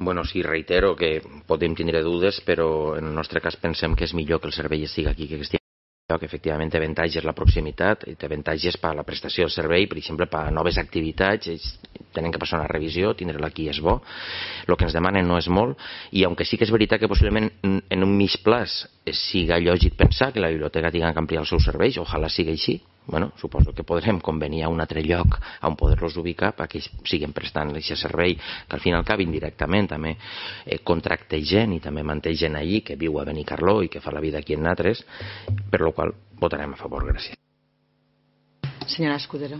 Bueno, sí, reitero que podem tindre dudes, però en el nostre cas pensem que és millor que el servei estigui aquí que estigui que efectivament té avantatges la proximitat i té avantatges per a la prestació del servei, per exemple, per a noves activitats, ells tenen que passar una revisió, tindre-la aquí és bo, el que ens demanen no és molt, i aunque sí que és veritat que possiblement en un mig plaç siga lògic pensar que la biblioteca tingui que ampliar els seus serveis, ojalà sigui així, bueno, suposo que podrem convenir a un altre lloc on poder-los ubicar perquè ells siguen prestant aquest servei, que al fin i al cap indirectament també contracta gent i també manté gent allí que viu a Benicarló i que fa la vida aquí en altres, per lo qual votarem a favor. Gràcies. Senyora Escudero.